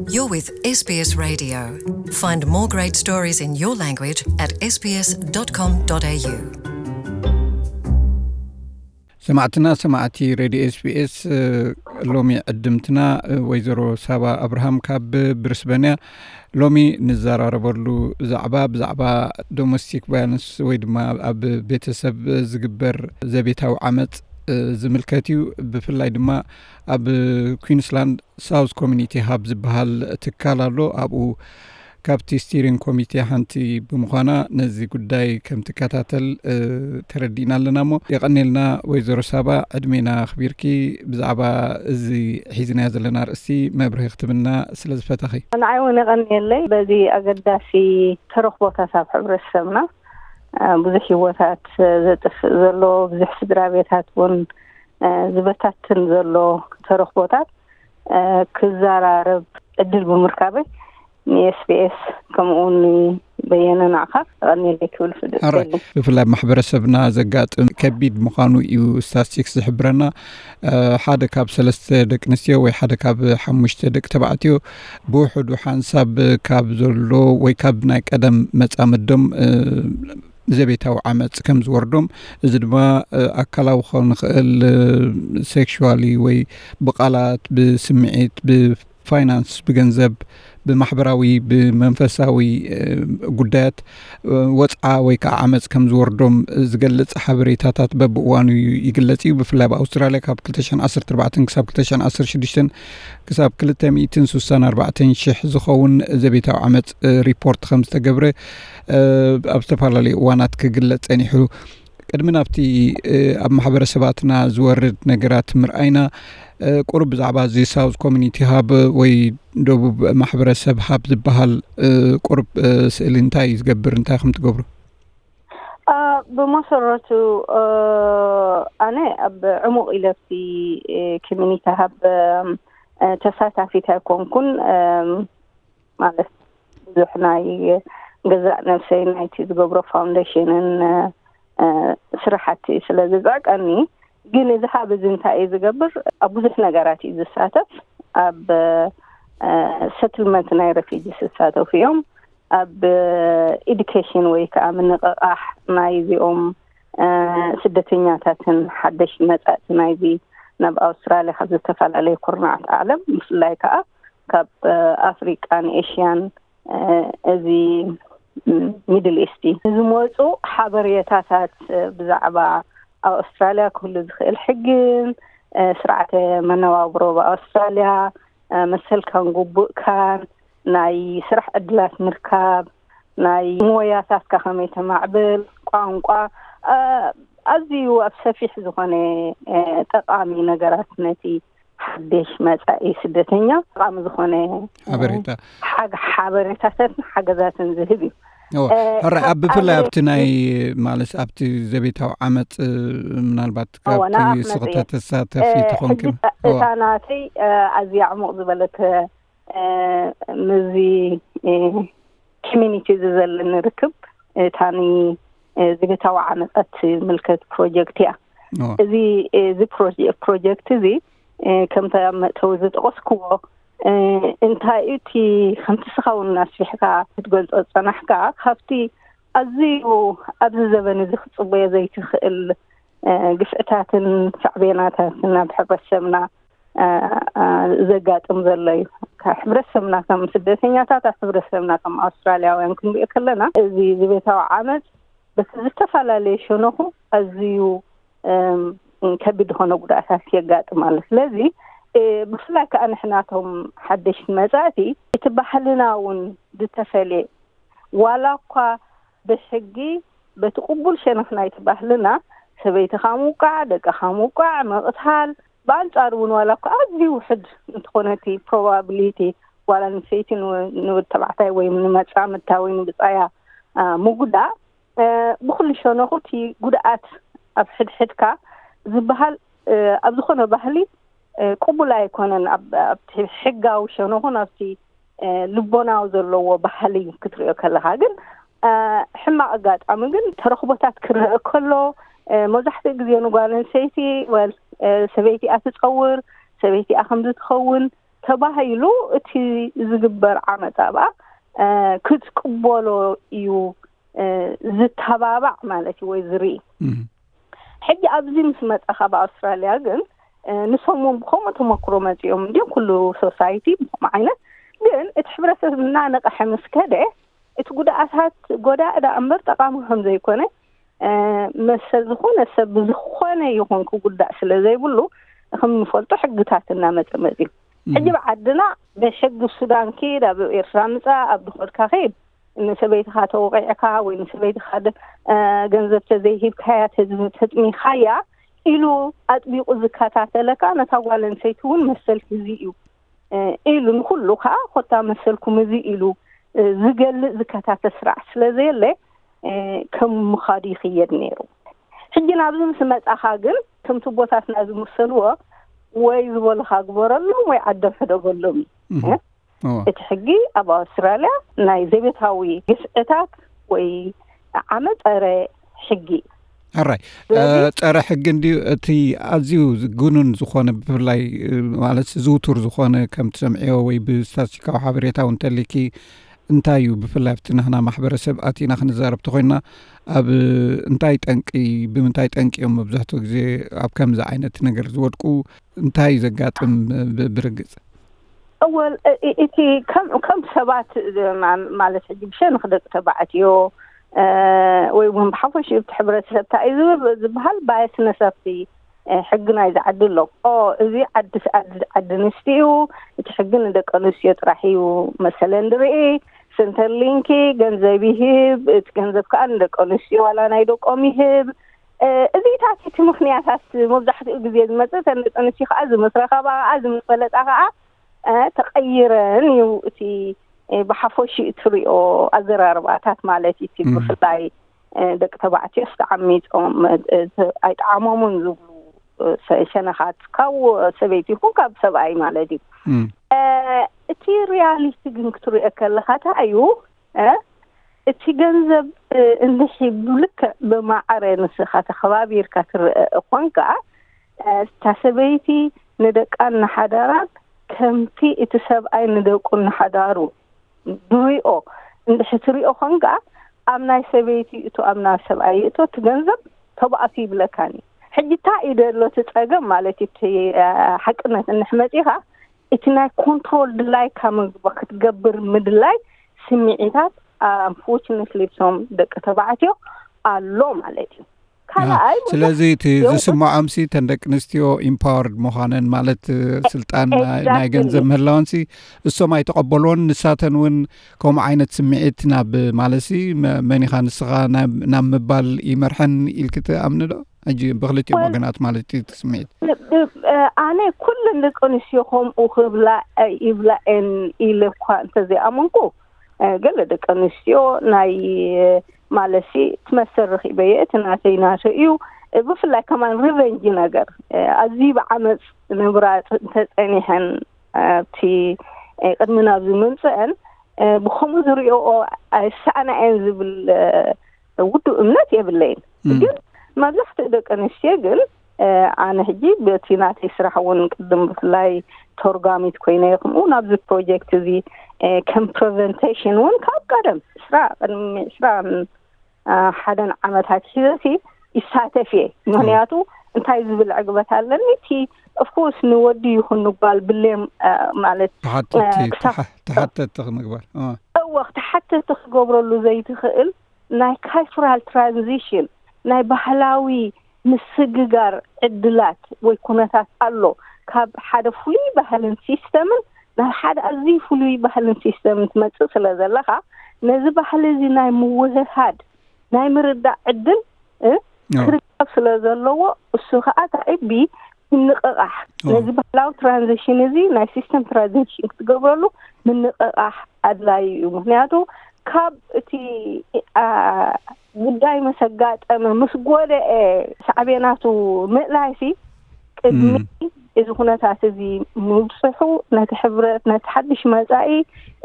You're with S B S Radio. Find more great stories in your language at S B S dot com dot A U. ሰማዕትና ሰማዕቲ ሬድዮ ኤስቢኤስ፣ ሎሚ ዕድምትና ወይዘሮ ሳባ ኣብርሃም ካብ ብሪስበን እያ። ሎሚ ንዘራረበሉ ዛዕባ ብዛዕባ ዶሜስቲክ ቫዮለንስ ወይ ድማ ኣብ ቤተሰብ ዝግበር ዘቤታዊ ዓመፅ ዝምልከት እዩ። ብፍላይ ድማ ኣብ ኩንስላንድ ሳውዝ ኮሚኒቲ ሃብ ዝበሃል ትካል ኣሎ። ኣብኡ ካብቲ ስቲሪንግ ኮሚቴ ሓንቲ ብምዃና ነዚ ጉዳይ ከም ትከታተል ተረዲእና ኣለና። እሞ የቐኔልና ወይዘሮ ሳባ፣ ዕድሜና ኣኽቢርኪ ብዛዕባ እዚ ሒዝናዮ ዘለና ኣርእስቲ መብርሂ ክትብና ስለ ዝፈተኺ። ንዓይ እውን የቐንየለይ። በዚ ኣገዳሲ ተረኽቦታት ኣብ ሕብረተሰብና ብዙሕ ህይወታት ዘጥፍእ ዘሎ፣ ብዙሕ ስድራ ቤታት እውን ዝበታትን ዘሎ ተረኽቦታት ክዘራረብ ዕድል ብምርካበይ ንኤስቢኤስ ከምኡ እውን በየነ ንዓኻ የቐንየለይ ክብል ፍልጥ ኣራይ። ብፍላይ ኣብ ማሕበረሰብና ዘጋጥም ከቢድ ምዃኑ እዩ ስታስቲክስ ዝሕብረና። ሓደ ካብ ሰለስተ ደቂ ኣንስትዮ ወይ ሓደ ካብ ሓሙሽተ ደቂ ተባዕትዮ ብውሕዱ ሓንሳብ ካብ ዘሎ ወይ ካብ ናይ ቀደም መጻምዶም ዘቤታዊ ዓመፅ ከም ዝወርዶም፣ እዚ ድማ ኣካላዊ ክኸውን ይኽእል፣ ሴክሹዋሊ ወይ ብቃላት፣ ብስምዒት፣ ብፋይናንስ፣ ብገንዘብ፣ ብማሕበራዊ፣ ብመንፈሳዊ ጉዳያት ወፅዓ ወይ ከዓ ዓመፅ ከም ዝወርዶም ዝገልፅ ሓበሬታታት በብእዋኑ ይግለፅ እዩ። ብፍላይ ኣብ ኣውስትራልያ ካብ ክልተ ሽሕን ዓሰርተ ኣርባዕተን ክሳብ ክልተ ሽሕን ዓሰርተ ሽዱሽተን ክሳብ ክልተ ሚእትን ስሳን ኣርባዕተን ሽሕ ዝኸውን ዘቤታዊ ዓመፅ ሪፖርት ከም ዝተገብረ ኣብ ዝተፈላለዩ እዋናት ክግለፅ ፀኒሑ። ቅድሚ ናብቲ ኣብ ማሕበረሰባትና ዝወርድ ነገራት ምርኣይና፣ ቁሩብ ብዛዕባ እዚ ሳውዝ ኮሚኒቲ ሃብ ወይ ደቡብ ማሕበረሰብ ሃብ ዝበሃል ቁሩብ ስእሊ እንታይ እዩ ዝገብር፣ እንታይ ከም ትገብሩ? ብመሰረቱ ኣነ ኣብ ዕሙቕ ኢለ ኣብቲ ኮሚኒቲ ሃብ ተሳታፊት ኣይኮንኩን። ማለት ብዙሕ ናይ ገዛእ ነብሰይ ናይቲ ዝገብሮ ፋውንዴሽንን ስራሕቲ ስለ ዝፅዕቀኒ፣ ግን እዚ ሃብ እዚ እንታይ እዩ ዝገብር? ኣብ ብዙሕ ነገራት እዩ ዝሳተፍ። ኣብ ሰትልመንት ናይ ረፊጂስ ዝሳተፉ እዮም። ኣብ ኤዱኬሽን ወይ ከዓ ምንቕቓሕ ናይ እዚኦም ስደተኛታትን ሓደሽ መጻእቲ ናይዚ ናብ ኣውስትራልያ ካብ ዝተፈላለዩ ኩርናዓት ዓለም፣ ብፍላይ ከዓ ካብ ኣፍሪቃን ኤሽያን፣ እዚ ሚድል ኢስት ዝመፁ ሓበሬታታት ብዛዕባ ኣብ ኣውስትራልያ ክህሉ ዝኽእል ሕግን ስርዓተ መነባብሮ ብኣውስትራልያ፣ መሰልካን ግቡእካን፣ ናይ ስራሕ ዕድላት ምርካብ፣ ናይ ሞያታትካ ከመይ ተማዕብል፣ ቋንቋ፣ ኣዝዩ ኣብ ሰፊሕ ዝኾነ ጠቃሚ ነገራት ነቲ ሓድሽ መጻኢ ስደተኛ ጠቃሚ ዝኾነ ሓበሬታ። ሓበሬታታትን ሓገዛትን ዝህብ እዩ። ሕራይ ኣብ ብፍላይ ኣብቲ ናይ ማለት ኣብቲ ዘቤታዊ ዓመፅ ምናልባት ካብቲ ስኽታ ተሳተፊ ተኾንኪ እታ ናተይ ኣዝያ ዕሙቕ ዝበለት ምዚ ኮሚኒቲ እዚ ዘለኒ ርክብ እታ ዘቤታዊ ዓመፃት ምልከት ፕሮጀክት እያ። እዚ እዚ ፕሮጀክት እዚ ከምታ መእተዊ ዝጠቀስክዎ እንታይ እቲ ከምቲ ስኻ እውን ኣስፊሕካ ክትገልፆ ዝፀናሕካ ካብቲ ኣዝዩ ኣብዚ ዘበን እዚ ክፅበዮ ዘይትኽእል ግፍዕታትን ሳዕቤናታትን ኣብ ሕብረተሰብና ዘጋጥም ዘሎ እዩ። ሕብረተሰብና ከም ስደተኛታት ኣብ ሕብረተሰብና ከም ኣውስትራልያውያን ክንሪኦ ከለና እዚ ዘቤታዊ ዓመፅ በቲ ዝተፈላለየ ሸነኹ ኣዝዩ ከቢድ ዝኾነ ጉድኣታት የጋጥም ኣሎ። ስለዚ ብፍላይ ከዓ ንሕናቶም ሓደሽቲ መፃእቲ እቲ ባህልና እውን ዝተፈለየ ዋላ እኳ ብሕጊ በቲ ቅቡል ሸነኽ ናይቲ ባህልና ሰበይትኻ ምውቃዕ፣ ደቅኻ ምውቃዕ፣ ምቕታል፣ ብኣንጻሩ እውን ዋላ እኳ ኣዝዩ ውሕድ እንተኾነ እቲ ፕሮባብሊቲ ጓል ኣንስተይቲ ንወዲ ተባዕታይ ወይ ንመጻምድታ ወይ ንብጻያ ምጉዳእ ብኩሉ ሸነኹ እቲ ጉድኣት ኣብ ሕድሕድካ ዝበሃል ኣብ ዝኾነ ባህሊ ቅቡል ኣይኮነን። ኣብቲ ሕጋዊ ሸነኹን ኣብቲ ልቦናዊ ዘለዎ ባህሊ ክትሪኦ ከለኻ ግን ሕማቕ ኣጋጣሚ ግን ተረኽቦታት ክረአ ከሎ መብዛሕትኡ ግዜ ንጓል ኣንስተይቲ ወል ሰበይቲ እያ ትፀውር፣ ሰበይቲ እያ ከምዚ ትኸውን ተባሂሉ እቲ ዝግበር ዓመፃ ብኣ ክትቅበሎ እዩ ዝተባባዕ ማለት እዩ ወይ ዝርኢ። ሕጂ ኣብዚ ምስ መፃኻ ብኣውስትራልያ ግን ንሶም እውን ብከምኡ ተመክሮ መፂኦም እንዲ ኩሉ ሶሳይቲ ብከምኡ ዓይነት ግን እቲ ሕብረተሰብ እናነቐሐ ምስ ከደ እቲ ጉድኣታት ጎዳኢ ዳ እምበር ጠቃሚ ከም ዘይኮነ መሰል ዝኾነ ሰብ ብዝኾነ ይኹን ክጉዳእ ስለ ዘይብሉ ከም ንፈልጦ ሕግታት እናመፀ መፂ ሕጂ ብዓድና ብሕጊ ሱዳን ኪድ ኣብ ኤርትራ ምፃ ኣብ ድኾድካ ኸይድ ንሰበይትኻ ተወቂዕካ ወይ ንሰበይትኻ ገንዘብ ተዘይሂብካያ ተጥሚኻያ ኢሉ ኣጥቢቑ ዝከታተለካ ነታ ጓል ኣንሰይቲ እውን መሰል ህዚ እዩ ኢሉ ንኩሉ ከዓ ኮታ መሰልኩም እዚ ኢሉ ዝገልጽ ዝከታተል ስርዓት ስለ ዘየለ ከም ምኻዱ ይኽየድ ነይሩ። ሕጂ ናብዚ ምስ መጻኻ ግን ከምቲ ቦታትና ዝምሰልዎ ወይ ዝበሉኻ ግበረሎም ወይ ዓዶም ሕደገሎም እዩ። እቲ ሕጊ ኣብ ኣውስትራልያ ናይ ዘቤታዊ ግፍዕታት ወይ ዓመ ጸረ ሕጊ ሕራይ ጸረ ሕጊ እንድዩ። እቲ ኣዝዩ ግኑን ዝኾነ ብፍላይ ማለት ዝውቱር ዝኾነ ከም ትሰምዕዮ ወይ ብስታትስቲካዊ ሓበሬታ እውን ተሊኪ እንታይ እዩ ብፍላይ ኣብቲ ናህና ማሕበረሰብ ኣቲና ክንዛረብ ተኮይና ኣብ እንታይ ጠንቂ ብምንታይ ጠንቂ እዮም መብዛሕትኡ ግዜ ኣብ ከምዚ ዓይነት ነገር ዝወድቁ እንታይ እዩ ዘጋጥም ብርግጽ? እወል እቲ ከም ሰባት ማለት ሕጂ ብሸንኽ ደቂ ተባዕትዮ ወይ እውን ብሓፈሽኡ እቲ ሕብረተሰብ እንታይ እዩ ዝበሃል ባየስነስ ኣብቲ ሕጊ ናይ ዝዓዲ ኣሎ። እዚ ዓዲ ዓዲ ኣንስትዮ እዩ፣ እቲ ሕጊ ንደቂ ኣንስትዮ ጥራሕ እዩ መሰለን ዝርኢ። ሰንተር ሊንኪ ገንዘብ ይህብ፣ እቲ ገንዘብ ከዓ ንደቂ ኣንስትዮ ዋላ ናይ ደቆም ይህብ። እዚታት እቲ ምክንያታት መብዛሕትኡ ግዜ ዝመፅእ ተን ደቂ ኣንስትዮ ከዓ ዝምስረኸባ ከዓ ዝምፈለጣ ከዓ ተቐይረን እዩ እቲ ብሓፈሽኡ እትሪኦ ኣዘራርባታት ማለት እዩ። እቲ ብፍላይ ደቂ ተባዕትዮስ ተዓሚፆም ኣይጠዓሞምን ዝብሉ ሸነኻት ካብ ሰበይቲ ይኹን ካብ ሰብኣይ ማለት እዩ። እቲ ሪያሊቲ ግን ክትሪኦ ከለኻ እንታይ እዩ እቲ ገንዘብ እንድሒ ብልክዕ ብማዕረ ንስኻ ተኸባቢርካ ትረአ እኳ እንከኣ እታ ሰበይቲ ንደቃን ንሓዳራን ከምቲ እቲ ሰብኣይ ንደቁን ንሓዳሩ ንሪኦ እንድሕር ትሪኦ ኾንካ ኣብ ናይ ሰበይቲ እቶ ኣብ ናይ ሰብኣይ እቶ እቲ ገንዘብ ተባእሱ ይብለካኒ። ሕጂ እንታይ እዩ ደሎ እቲ ፀገም ማለት እቲ ሓቅነት እንሕ መፂኻ እቲ ናይ ኮንትሮል ድላይካ ክትገብር ምድላይ ስምዒታት ኣንፎርችነትሊ እቶም ደቂ ተባዕትዮ ኣሎ ማለት እዩ። ካልኣይ ስለዚ እቲ ዝስምዖምሲ ተን ደቂ ኣንስትዮ ኢምፓወርድ ምዃነን ማለት ስልጣን ናይ ገንዘብ ምህላወንሲ እሶም ኣይተቐበልዎን። ንሳተን እውን ከምኡ ዓይነት ስምዒት ናብ ማለትሲ መኒኻ ንስኻ ናብ ምባል ይመርሐን ኢልኪ ትኣምኒ ዶ? ሕጂ ብክልቲኦም ወገናት ማለት እዩ እቲ ስምዒት። ኣነ ኩለን ደቂ ኣንስትዮ ከምኡ ክብላ ይብላ እየን ኢለ እኳ እንተዘይኣመንኩ ገለ ደቂ ኣንስትዮ ናይ ማለትሲ እቲ መሰል ረኺበዮ እቲ ናተይ ናተይ እዩ። ብፍላይ ከማን ሪቨንጂ ነገር ኣዝዩ ብዓመፅ ምብራፅ እንተፀኒሐን ኣብቲ ቅድሚ ናብዚ ምምፅአን ብከምኡ ዝሪኦ ኣይሰኣና እየን ዝብል ውዱእ እምነት የብለይን። ግን መብዛሕትኡ ደቂ ኣንስትዮ ግን ኣነ ሕጂ በቲ ናተይ ስራሕ እውን ቅድም ብፍላይ ተርጓሚት ኮይነ ይኹምኡ ናብዚ ፕሮጀክት እዚ ከም ፕሬዘንቴሽን እውን ካብ ቀደም ስራ ቅድሚ ስራ ሓደን ዓመታት ሒዘሲ ይሳተፍ እየ። ምክንያቱ እንታይ ዝብል ዕግበት ኣለኒ እቲ ኦፍኮርስ ንወዲ ይኹን ንጓል ብሌም ማለት ተሓተቲ ክንግበር እወ ተሓተቲ ክገብረሉ ዘይትኽእል ናይ ካልቸራል ትራንዚሽን ናይ ባህላዊ ምስግጋር ዕድላት ወይ ኩነታት ኣሎ። ካብ ሓደ ፍሉይ ባህልን ሲስተምን ናብ ሓደ ኣዝዩ ፍሉይ ባህልን ሲስተምን ትመፅእ ስለ ዘለኻ ነዚ ባህሊ እዚ ናይ ምውህሃድ ናይ ምርዳእ ዕድል ክርከብ ስለ ዘለዎ እሱ ከዓ ታኢቢ ምንቕቓሕ ነዚ ባህላዊ ትራንዚሽን እዚ ናይ ሲስተም ትራንዚሽን ክትገብረሉ ምንቕቓሕ ኣድላዩ እዩ። ምክንያቱ ካብ እቲ ጉዳይ መሰጋጠመ ምስ ጎደኤ ሳዕቤናቱ ምእላይሲ ቅድሚ እዚ ኩነታት እዚ ምብፅሑ ነቲ ሕብረት ነቲ ሓድሽ መፃኢ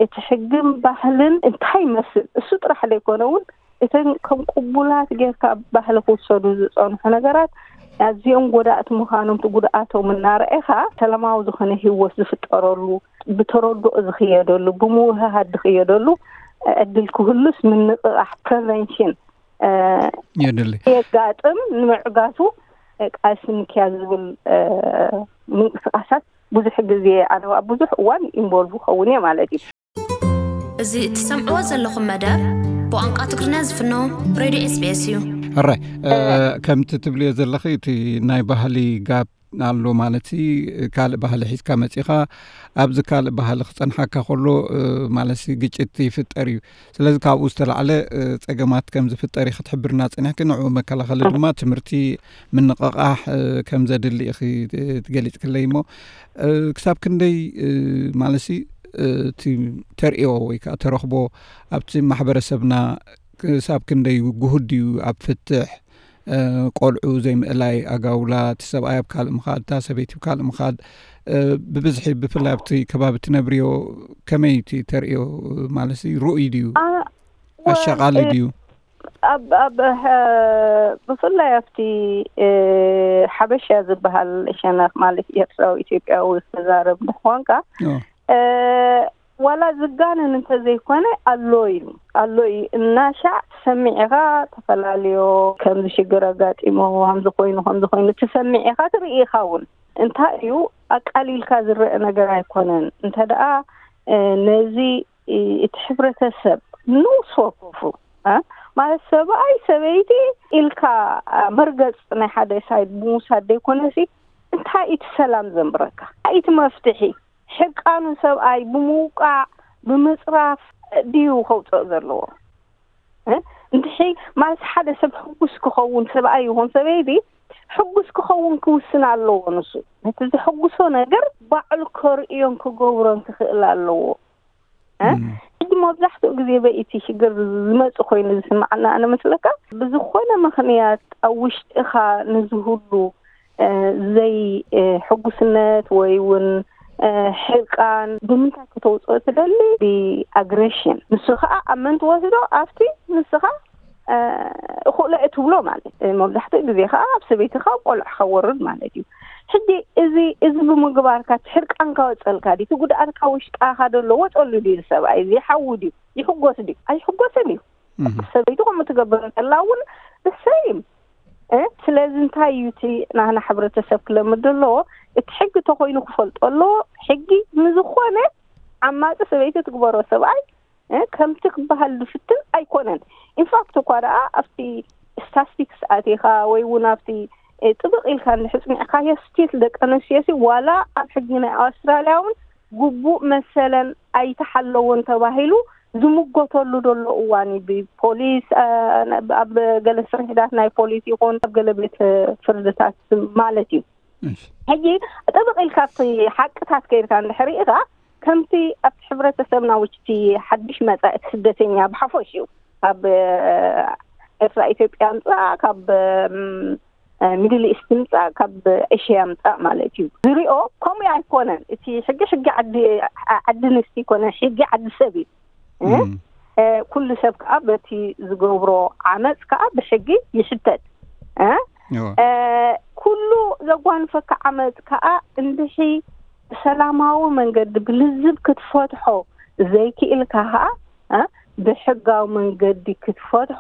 እቲ ሕግን ባህልን እንታይ ይመስል እሱ ጥራሕ ዘይኮነ እውን እተን ከም ቅቡላት ጌርካ ባህሊ ክውሰዱ ዝፀንሑ ነገራት ኣዝዮም ጎዳእቲ ምዃኖም፣ እቲ ጉድኣቶም እናረኣኻ ሰላማዊ ዝኾነ ህይወት ዝፍጠረሉ፣ ብተረድኦ ዝኽየደሉ፣ ብምውህሃድ ዝኽየደሉ ዕድል ክህሉስ ምንቕቓሕ፣ ፕሪቨንሽን፣ እ፣ የድሊ። የጋጥም። ንምዕጋቱ፣ እ፣ ቃልሲ ምክያድ ዝብል፣ እ፣ ምንቅስቃሳት ብዙሕ ግዜ፣ ኣነ ኣብ ብዙሕ እዋን ኢንቮልቭ ክኸውን እየ ማለት እዩ። እዚ እትሰምዕዎ ዘለኹም መደብ ብቋንቋ ትግርኛ ዝፍኖ ሬድዮ ኤስ ቢ ኤስ እዩ። ሕራይ፣ እ፣ ከምቲ ትብልዮ ዘለኺ፣ እቲ ናይ ባህሊ ጋፕ ኣሎ ማለት ሲ፣ ካልእ ባህሊ ሒዝካ መጺኻ ኣብዚ ካልእ ባህሊ ክጸንሓካ ከሎ፣ እ፣ ማለት ሲ፣ ግጭት ይፍጠር እዩ። ስለዚ ካብኡ ዝተላዕለ፣ እ፣ ጸገማት ከም ዝፍጠር እዩ ክትሕብርና ጸኒሕኪ። ንዕኡ መከላኸሊ ድማ ትምህርቲ፣ ምንቕቓሕ፣ እ፣ ከም ዘድሊ ኢኺ፣ እ፣ ትገሊጽክለይ እሞ፣ እ፣ ክሳብ ክንደይ፣ እ፣ ማለት ሲ፣ እ፣ እቲ ተርእዮ ወይ ከኣ ተረኽቦ ኣብቲ ማሕበረሰብና ክሳብ ክንደይ ግሁድ ድዩ ኣብ ፍትሕ፣ እ፣ ቆልዑ ዘይምእላይ፣ ኣጋውላ፣ እቲ ሰብኣይ ኣብ ካልእ ምኻድ፣ እታ ሰበይቲ ኣብ ካልእ ምኻድ፣ እ፣ ብብዝሒ ብፍላይ ኣብቲ ከባቢ ትነብርዮ ከመይ እቲ ተርእዮ፣ ማለት ሲ፣ ርኡይ ድዩ? ኣ-፣ ወ-፣ ኣሻቓሊ እ፣ ድዩ? ኣብ፣ ኣብ፣ ሀ-፣ ብፍላይ ኣብቲ፣ እ፣ ሓበሻ ዝበሃል ሸነኽ፣ ማለት ኤርትራዊ ኢትዮጵያዊ ክዛረብ እንተኾንካ፣ ኦ። እ፣ ዋላ ዝጋነን እንተዘይኮነ ኣሎ እዩ፣ ኣሎ እዩ። እናሻዕ ትሰምዕ ኢኻ፣ ተፈላለዮ ከምዚ ሽግር ኣጋጢሞ፣ ከምዚ ኮይኑ፣ ከምዚ ኮይኑ ትሰምዕ ኢኻ፣ ትርኢ ኢኻ እውን። እንታይ እዩ፣ ኣቃሊልካ ዝረአ ነገር ኣይኮነን። እንተ ደኣ፣ እ፣ ነዚ፣ እ፣ እቲ ሕብረተሰብ ንኡስ ወከፉ፣ እ፣ ማለት ሰብኣይ ሰበይቲ ኢልካ፣ እ፣ መርገጽ ናይ ሓደ ሳይድ ብምውሳድ ዘይኮነሲ፣ እንታይ እቲ ሰላም ዘንብረካ? እንታይ እቲ መፍትሒ? ሕቃኑ ሰብኣይ ብምውቃዕ፣ ብምጽራፍ ድዩ ከውጽኦ ዘለዎ? እ? እንድሕሪ ማለት ሓደ ሰብ ሕጉስ ክኸውን፣ ሰብኣይ ይኹን ሰበይቲ ሕጉስ ክኸውን ክውስን ኣለዎ። ንሱ ነቲ ዘሐጉሶ ነገር ባዕሉ ከርእዮን ክገብሮን ክኽእል ኣለዎ። እ? እም። ሕጂ መብዛሕትኡ ግዜ በኢቲ ሽግር ዝመጽእ ኮይኑ ዝስምዓና ኣነ መስለካ፣ ብዝኾነ ምኽንያት ኣብ ውሽጥኻ ንዝህሉ፣ እ፣ ዘይ፣ እ፣ ሕጉስነት ወይ እውን፣ እ፣ ሕርቃን ብምንታይ ከተውፅኦ ትደሊ? ብኣግሬሽን። ንሱ ከዓ ኣብ መን ትወስዶ? ኣብቲ ንስኻ፣ እ፣ እኹእለ እትብሎ ማለት። እ፣ መብዛሕትኡ ግዜ ከዓ ኣብ ሰበይትኻ፣ ኣብ ቆልዕኻ ወርድ ማለት እዩ። ሕጂ እዚ፣ እዚ ብምግባርካ እቲ ሕርቃንካ ወፀልካ ድዩ? እቲ ጉድኣትካ ውሽጣኻ ደሎ ወፀሉ ድዩ? ሰብኣይ እዚ ሓዊ ድዩ? ይሕጎስ ድዩ? ኣይሕጎስን እዩ። እህ። ሰበይቲ ከምኡ ትገብር እንተላ እውን እሰይም። እ፣ ስለዚ እንታይ እዩ እቲ ናህና ሕብረተሰብ ክለምድ ዘለዎ? እቲ ሕጊ ተኾይኑ ክፈልጦ ኣለዎ። ሕጊ ንዝኾነ ዓማፂ ሰበይቲ ትግበሮ ሰብኣይ፣ እ፣ ከምቲ ክበሃል ዝፍትን ኣይኮነን። ኢንፋክት እኳ ደኣ ኣብቲ ስታስቲክስ ኣቲኻ ወይ እውን ኣብቲ፣ እ፣ ጥብቕ ኢልካ እንድሕር ጽኒዕካዮ፣ ስቲል ደቂ ኣንስትዮሲ ዋላ ኣብ ሕጊ ናይ ኣውስትራልያ እውን ግቡእ መሰለን ኣይተሓለወን ተባሂሉ ዝምጎተሉ ዘሎ እዋን እዩ። ብፖሊስ፣ እ፣ ኣብ ገለ ስርሒታት ናይ ፖሊስ ይኹን ኣብ ገለ ቤት ፍርድታት ማለት እዩ። እሺ። ሕጂ ጥብቕ ኢልካ ኣብቲ ሓቅታት ከይድካ እንድሕር ርኢኻ፣ ከምቲ ኣብቲ ሕብረተሰብና ውሽጢ ሓድሽ መጻኢ ስደተኛ ብሓፈሽኡ ካብ፣ እ፣ ኤርትራ፣ ኢትዮጵያ ምጻእ፣ ካብ፣ እም፣ እ፣ ሚድል ኢስት ምጻእ፣ ካብ ኤሽያ ምጻእ ማለት እዩ። ዝሪኦ ከምኡ ኣይኮነን። እቲ ሕጊ ሕጊ ዓዲ፣ ዓ-፣ ዓዲ ኣንስቲ ይኮነ፣ ሕጊ ዓዲ ሰብ እዩ። እ? እም። እ፣ ኩሉ ሰብ ከዓ በቲ ዝገብሮ ዓመፅ ከዓ ብሕጊ ይሕተት። እ? እወ። እ፣ ኩሉ ዘጓንፈካ ዓመፅ ከዓ እንድሒ ብሰላማዊ መንገዲ ብልዝብ ክትፈትሖ ዘይክኢልካ ከዓ፣ እ፣ ብሕጋዊ መንገዲ ክትፈትሖ፣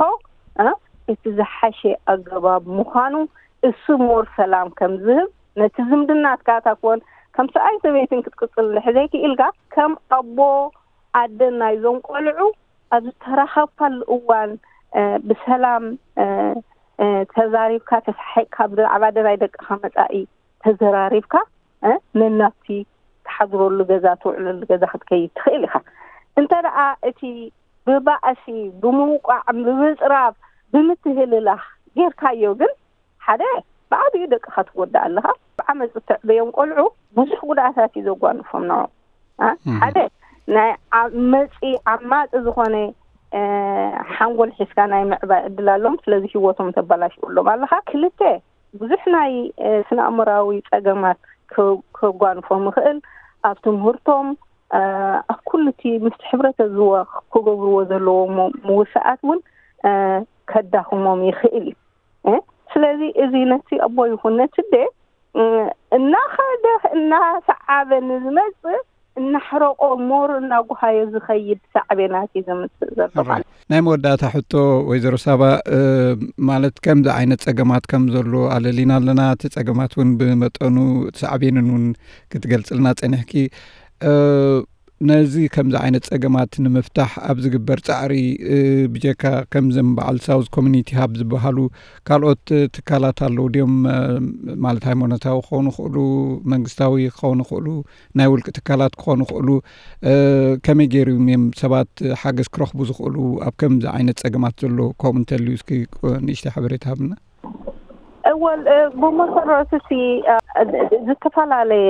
እ፣ እቲ ዝሓሸ ኣገባብ ምዃኑ እሱ ሞር ሰላም ከም ዝህብ፣ ነቲ ዝምድናትካ ታኮን ከም ሰብኣይ ሰበይትን ክትቅጽል እንድሕር ዘይክኢልካ፣ ከም ኣቦ ኣደን ናይዞም ቆልዑ ኣብ ዝተራኸብካሉ እዋን፣ እ፣ ብሰላም፣ እ፣ እ፣ ተዛሪብካ፣ ተሳሒቕካ፣ ብዛዕባ ናይ ደቅኻ መጻኢ ተዘራሪብካ፣ እ፣ ነናብቲ ትሓድረሉ ገዛ፣ ትውዕለሉ ገዛ ክትከይድ ትኽእል ኢኻ። እንተ ደኣ እቲ ብባእሲ፣ ብምውቃዕ፣ ብምጽራፍ፣ ብምትህልላኽ ጌርካዮ ግን፣ ሓደ፣ ብዓቢኡ ደቅኻ ትጎድእ ኣለኻ። ብዓመጽ እተዕበዮም ቆልዑ ብዙሕ ጉድኣታት እዩ ዘጓንፎም ንዖም። እ? እም። ሓደ፣ ናይ ዓመጺ፣ ዓማጺ ዝኾነ፣ እ፣ ሓንጎል ሒዝካ ናይ ምዕባይ ዕድል ኣለዎም። ስለዚ ህይወቶም ተበላሽወሎም ኣለኻ። ክልተ፣ ብዙሕ ናይ፣ እ፣ ስነ ኣእምራዊ ጸገማት ከ-፣ ከጓንፎም ይኽእል። ኣብ ትምህርቶም፣ እ፣ ኣብ ኩሉ እቲ ምስቲ ሕብረተዝወ ክገብርዎ ዘለዎም ሞ-፣ ምውሳኣት እውን፣ እ፣ ከዳኽሞም ይኽእል እዩ። እ? ስለዚ እዚ ነቲ ኣቦ ይኹን ነቲ ኣደ እናኸደ እናሰዓበ ንዝመጽእ እናሕረቆ ሞር እናጉሃዮ ዝኸይድ ሳዕቤናት እዩ ዘምጽእ ዘሎ። ናይ መወዳእታ ሕቶ፣ ወይዘሮ ሳባ፣ ማለት ከምዚ ዓይነት ጸገማት ከም ዘሎ ኣለሊና ኣለና። እቲ ጸገማት እውን ብመጠኑ ሳዕቤንን እውን ክትገልጽልና ጸኒሕኪ። ነዚ ከምዚ ዓይነት ጸገማት ንምፍታሕ ኣብ ዝግበር ጻዕሪ፣ ብጀካ ከምዘም በዓል ሳውዝ ኮሚኒቲ ሃብ ዝበሃሉ ካልኦት ትካላት ኣለዉ ድዮም? ማለት ሃይማኖታዊ ክኾኑ ይኽእሉ፣ መንግስታዊ ክኾኑ ይኽእሉ፣ ናይ ውልቂ ትካላት ክኾኑ ይኽእሉ። ከመይ ገይሮም እዮም ሰባት ሓገዝ ክረኽቡ ዝኽእሉ ኣብ ከምዚ ዓይነት ጸገማት ዘሎ? ከምኡ እንተልዩ እስኪ ንእሽተይ ሓበሬታ ሃብና። እወል ብመሰረቱ ሲ ዝተፈላለየ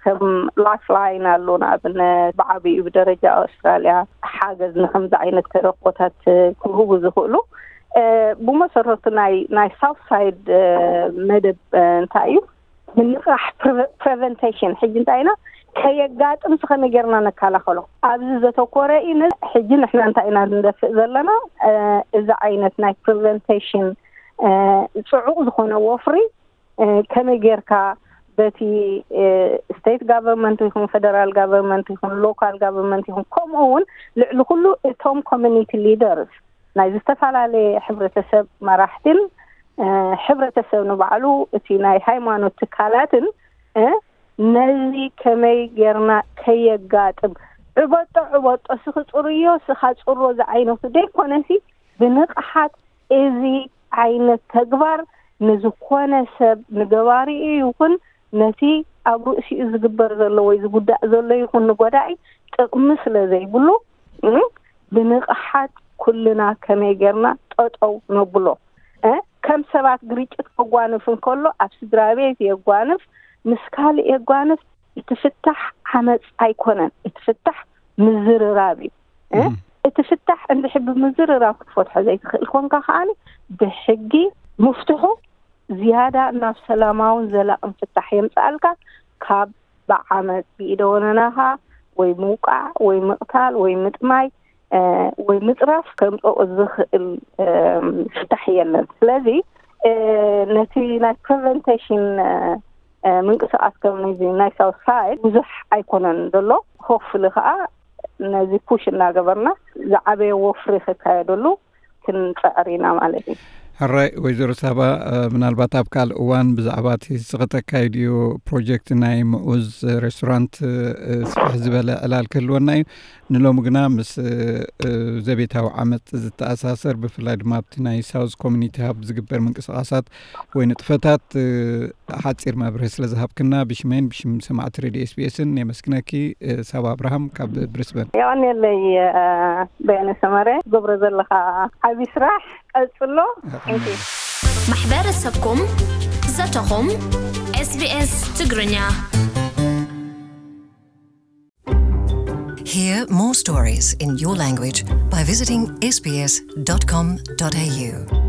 ከም ላይፍ ላይን ኣሎ። ንኣብነት ብዓብዩ ብደረጃ ኣውስትራልያ ሓገዝ ንከምዚ ዓይነት ተረቆታት ክህቡ ዝኽእሉ። ብመሰረቱ ናይ ናይ ሳውት ሳይድ መደብ እንታይ እዩ? ምንቃሕ፣ ፕሪቨንቴሽን። ሕጂ እንታይ ኢና ከየጋጥም ከመይ ጌርና ነከላኸሎ ኣብዚ ዘተኮረ እዩ። ሕጂ ንሕና እንታይ ኢና ንደፍእ ዘለና? እዚ ዓይነት ናይ ፕሪቨንቴሽን ጽዑቕ ዝኾነ ወፍሪ ከመይ ጌርካ በቲ ስቴት ጋቨርንመንት ይኹን ፌደራል ጋቨርንመንት ይኹን ሎካል ጋቨርንመንት ይኹን ከምኡ እውን ልዕሊ ኩሉ እቶም ኮሚኒቲ ሊደርስ ናይ ዝተፈላለየ ሕብረተሰብ መራሕትን ሕብረተሰብ ንባዕሉ እቲ ናይ ሃይማኖት ትካላትን ነዚ ከመይ ጌርና ከየጋጥም ዕበጦ ዕበጦ ስኽጽርዮ ስኻጽሮ ዝዓይነቱ ደይኮነሲ ብንቕሓት እዚ ዓይነት ተግባር ንዝኾነ ሰብ ንገባሪኡ ይኹን ነቲ ኣብ ርእሲኡ ዝግበር ዘሎ ወይ ዝጉዳእ ዘሎ ይኹን ንጎዳኢ ጥቕሚ ስለ ዘይብሉ ብንቕሓት ኩልና ከመይ ጌርና ጠጠው ነብሎ። ከም ሰባት ግርጭት ከጓንፍ እንከሎ ኣብ ስድራ ቤት የጓንፍ፣ ምስ ካልእ የጓንፍ። እቲ ፍታሕ ዓመፅ ኣይኮነን። እቲ ፍታሕ ምዝርራብ እዩ። እቲ ፍታሕ እንድሕር ብምዝርራብ ክትፈትሖ ዘይትኽእል ኮንካ ከዓኒ ብሕጊ ምፍትሑ ዝያዳ ናብ ሰላማውን ዘላቕን ፍታሕ የምፅኣልካ ካብ ብዓመፅ ብኢደ ወነናኻ ወይ ምውቃዕ ወይ ምቕታል ወይ ምጥማይ ወይ ምፅራፍ ከምፅኦ ዝኽእል ፍታሕ የለን። ስለዚ ነቲ ናይ ፕሪቨንቴሽን ምንቅስቃስ ከም ናይ ሳውት ሳይድ ብዙሕ ኣይኮነን ዘሎ። ሆፍሊ ከዓ ነዚ ፑሽ እናገበርና ዝዓበየ ወፍሪ ክካየደሉ ክንፅዕር ኢና ማለት እዩ። ሕራይ ወይዘሮ ሳባ፣ ምናልባት ኣብ ካልእ እዋን ብዛዕባ እቲ ዝተኸተካየድዮ ፕሮጀክት ናይ ምኡዝ ሬስቶራንት ስፍሕ ዝበለ ዕላል ክህልወና እዩ። ንሎሚ ግና ምስ ዘቤታዊ ዓመፅ ዝተኣሳሰር ብፍላይ ድማ ኣብቲ ናይ ሳውዝ ኮሚኒቲ ሃብ ዝግበር ምንቅስቃሳት ወይ ንጥፈታት ሓፂር መብርሂ ስለ ዝሃብክና ብሽመይን ብሽም ሰማዕቲ ሬድዮ ኤስቢኤስን የመስግነኪ። ሳባ ኣብርሃም ካብ ብሪስበን። የቐንየለይ በየነ ሰመረ፣ ገብረ ዘለኻ ዓቢ ስራሕ ቀጽሎ። ማሕበረሰብኩም ዘተኹም ኤስቢኤስ ትግርኛ። Hear more stories in your language by visiting sbs.com.au.